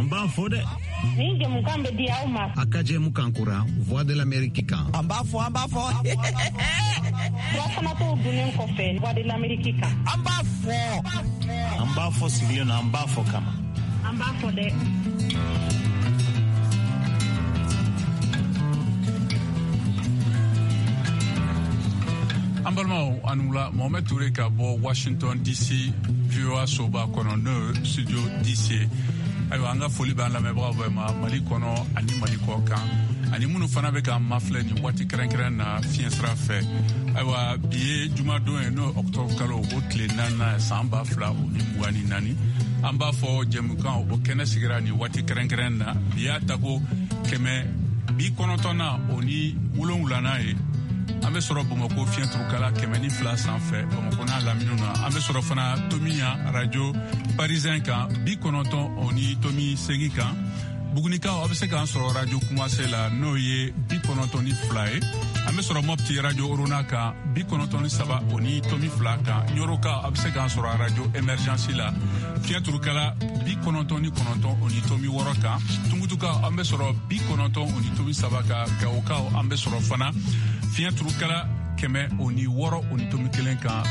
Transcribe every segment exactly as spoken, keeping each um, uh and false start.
An b'a fɔ dɛ. Nin jɛmukan bɛ di aw ma. A ka jɛmukan kura Voix de l'Amérique kan. An b'a fɔ, an b'a fɔ. Furafanatɔw dunnen kɔfɛ Voix de l'Amérique kan. An b'a fɔ. An b'a fɔ sigilen na, an b'a fɔ kama. An b'a fɔ dɛ. An balimaw, a ni wula. Mohamed Touré ka bɔ Washington D C, V O A soba kɔnɔ, n'o ye studio D C. Ayiwa, an ka foli b'an lamɛnbagaw bɛɛ ma Mali kɔnɔ ani Mali kɔ kan, ani minnu fana bɛ k'an mafilɛ nin waati kɛrɛnkɛrɛn na fiɲɛ sira fɛ. Ayiwa, bi ye jumadon ye, n'o ye octobre kalo o tile naaninan, san ba fila o ni mugan ni naani. An b'a fɔ jɛmukan o kɛnɛ sigira nin waati kɛrɛnkɛrɛn na. Bi y'a tako kɛmɛ bi kɔnɔntɔnnan o ni wolonwulanan ye. An bɛ sɔrɔ Bamakɔ fiɲɛturukala kɛmɛ ni fila sanfɛ, Bamakɔ n'a laminiw na. An bɛ sɔrɔ fana tomiya radio Parisien kan, bi kɔnɔntɔn o ni tomi segi kan. Bugunikaw, aw bɛ se k'an sɔrɔ radio Kumase la, n'o ye bi kɔnɔntɔn ni fila ye. An bɛ sɔrɔ Mɔpti radio Orona kan, bi kɔnɔntɔn ni saba o ni tomi fila kan. Ɲɔrɔkaw, aw bɛ se k'an sɔrɔ radio Émergence la, fiɲɛturukala bi kɔnɔntɔn ni kɔnɔntɔn o ni tomi wɔɔrɔ kan. Tumutukaw, an bɛ sɔrɔ bi kɔnɔntɔn o ni tomi saba kan. Gawokaw, an bɛ sɔrɔ fana fiɲɛturukala kɛmɛ o ni wɔɔrɔ o ni tomi kelen kan.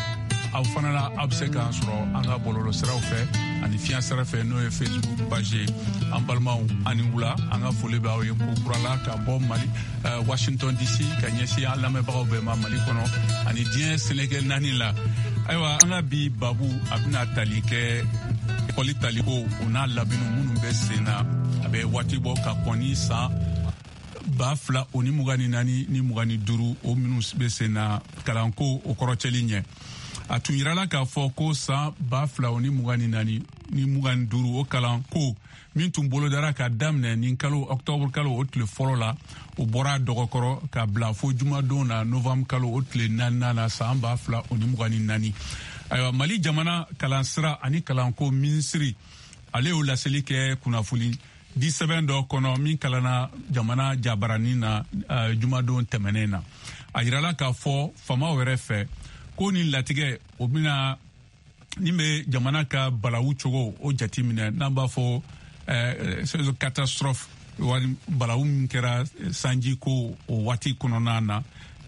Aw fana la, aw bɛ se k'an sɔrɔ an ka bɔlɔlɔsiraw fɛ ani fiɲɛ sira fɛ, n'o ye Facebook page ye. An balimaw, ani wula. An ka foli bɛ aw ye ko kura la ka bɔ Mali, Washington D C, ka ɲɛsin an lamɛnbagaw bɛɛ ma Mali kɔnɔ ani diɲɛ seleke naani la. Ayiwa, an ka bi babu, a bɛna tali kɛ ekɔli taliko o n'a labɛnni minnu bɛ sen na, a bɛ waati bɔ ka kɔn ni san ba fila o ni mugan ni naani ni mugan ni duuru, o minnu bɛ sen na kalanko o kɔrɔcɛli ɲɛ. A tun yirala k'a fɔ ko san ba fila o ni mugan ni naani ni mugan ni duuru, o kalanko min tun bolodara ka daminɛ nin kalo octobre kalo o tile fɔlɔ la, o bɔra dɔgɔkɔrɔ ka bila fo jumadon na, novembre kalo o tile naaninan na, san ba fila o ni mugan ni naani. Ayiwa, Mali jamana kalansira ani kalanko minisiri, ale y'o laseli kɛ kunnafoni di sɛbɛn dɔ kɔnɔ min kalanna jamana jabaranin na uh, jumadon tɛmɛnen na. A yirala k'a fɔ faamaw yɛrɛ fɛ ko nin latigɛ o bɛna nin bɛ jamana ka balawu cogo o jati minɛ, n'an b'a fɔ eh, catastrophe, wali balawu min kɛra sanji ko o waati kɔnɔna na,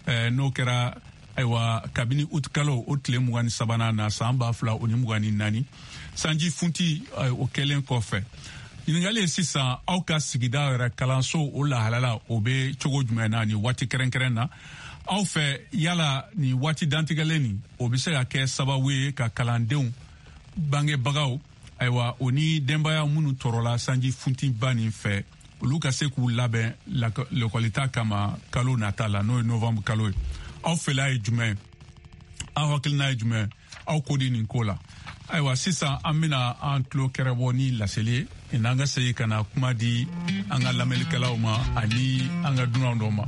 eh, n'o kɛra ayiwa kabini uti kalo o tile mugan ni sabanan na, san ba fila o ni mugan ni naani, sanji funti o kɛlen kɔfɛ. Ɲininkali ye sisan, aw ka sigida yɛrɛ kalanso o lahalala o bɛ cogo jumɛn na nin waati kɛrɛnkɛrɛn na aw fɛ? Yala nin waati dantigɛlen nin, o bɛ se ka kɛ sababu ye ka kalandenw bangebagaw, ayiwa, o ni denbaya minnu tɔɔrɔla sanji funtiba nin fɛ, olu ka se k'u labɛn lekɔlita kama kalo nata la, n'o ye novembre kalo ye? Aw fɛla ye jumɛn? Aw hakilina ye jumɛn? Aw ko di nin ko la? Ayiwa, sisan an bena an tulo kɛrɛbɔ ni laseli ye, n'an ka segin ka na kuma di an ka lamɛnlikɛlaw ma ani an ka dunan dɔ ma.